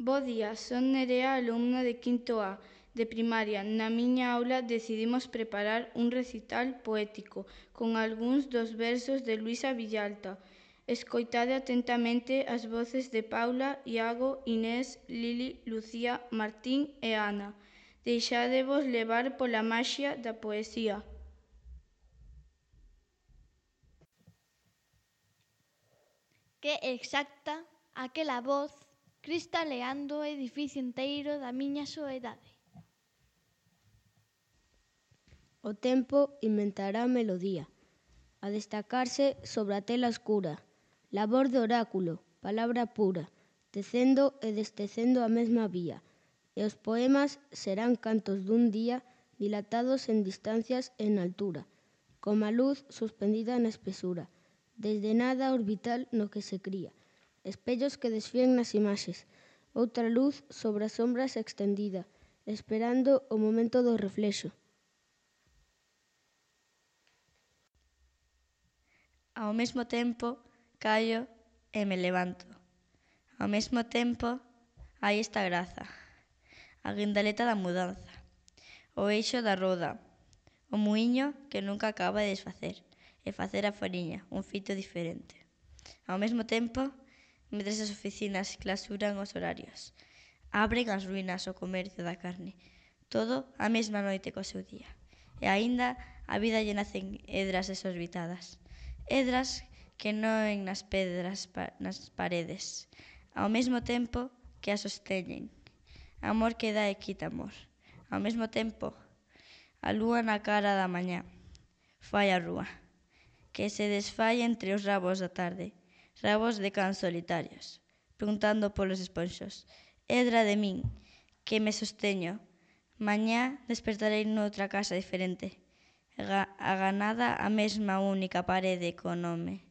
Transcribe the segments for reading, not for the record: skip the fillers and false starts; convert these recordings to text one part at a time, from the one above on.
Bo día, son Nerea, alumna de quinto A, de primaria. Na miña aula decidimos preparar un recital poético con algúns dos versos de Luisa Villalta. Escoitade atentamente as voces de Paula, Iago, Inés, Lili, Lucía, Martín e Ana. Deixádevos levar pola maxia da poesía. Que exacta aquela voz cristaleando o edificio enteiro da miña soedade. O tempo inventará melodía, a destacarse sobre a tela escura, labor de oráculo, palabra pura, tecendo e destecendo a mesma vía, e os poemas serán cantos dun día dilatados en distancias e en altura, como a luz suspendida na espesura, desde nada orbital no que se cría, espellos que desfían nas imaxes, outra luz sobre as sombras extendida, esperando o momento do reflexo. Ao mesmo tempo, callo e me levanto. Ao mesmo tempo, hai esta graza, a guindaleta da mudanza, o eixo da roda, o muiño que nunca acaba de desfacer e facer a fariña, un fito diferente. Ao mesmo tempo, mentres as oficinas clausuran os horarios, abren as ruínas o comercio da carne, todo a mesma noite co seu día. E aínda a vida lle nacen edras desorbitadas, edras que noen nas pedras, nas paredes, ao mesmo tempo que as sosteñen. Amor que dá e quita amor. Ao mesmo tempo, a lúa na cara da mañá fai a rúa, que se desfai entre os rabos da tarde, rabos de cans solitarios, preguntando polos esponxos. Edra de min, que me sosteño. Mañá despertarei noutra casa diferente, aganada a mesma única parede co nome.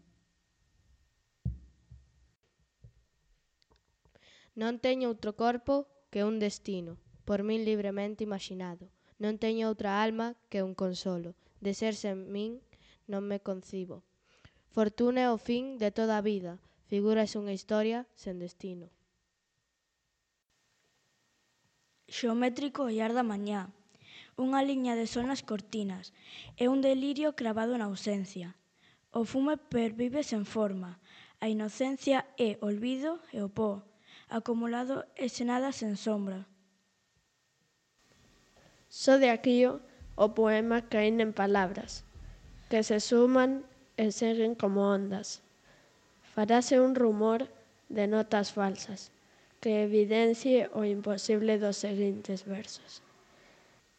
Non teño outro corpo que un destino, por min libremente imaginado. Non teño outra alma que un consolo. De ser sen min non me concibo. Fortuna é o fin de toda a vida. Figúrase unha historia sen destino. Xeométrico ollar da mañá, unha liña de sol nas cortinas e un delirio cravado na ausencia. O fume pervive sen forma, a inocencia é olvido e o pó, acumulado e sen nada sen sombra. Só de aquío o poema caín en palabras, que se suman e seguen como ondas. Farase un rumor de notas falsas, que evidencie o imposible dos seguintes versos.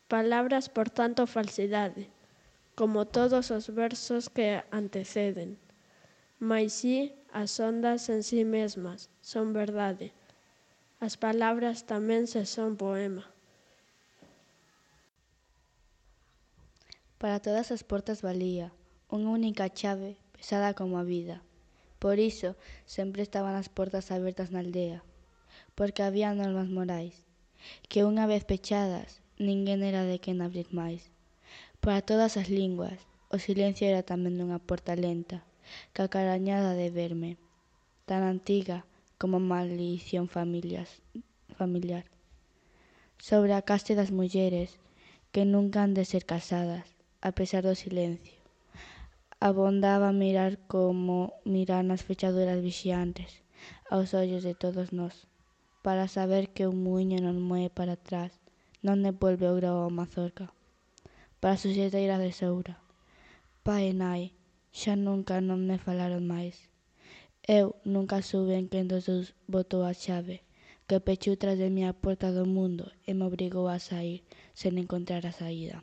Palabras por tanto falsidade, como todos os versos que anteceden. Mais si, as ondas en si mesmas son verdade. As palabras tamén se son poema. Para todas as portas valía unha única chave pesada como a vida. Por iso sempre estaban as portas abertas na aldea, porque había normas morais, que unha vez pechadas ninguén era de quen abrir máis. Para todas as linguas o silencio era tamén unha porta lenta, cacarañada de verme, tan antiga como a maldición familiar. Sobre a caste das mulleres que nunca han de ser casadas, a pesar do silencio. Abondaba mirar como mirar nas fechaduras vixiantes, aos ollos de todos nós, para saber que un muiño non moe para atrás, non devolve o grao ao mazorca. Para a suxeiteira de Soura, pai e nai, xa nunca non me falaron máis. Eu nunca suben quen dos dous botou a chave, que pechou tras de mí a porta do mundo e me obrigou a saír sen encontrar a saída.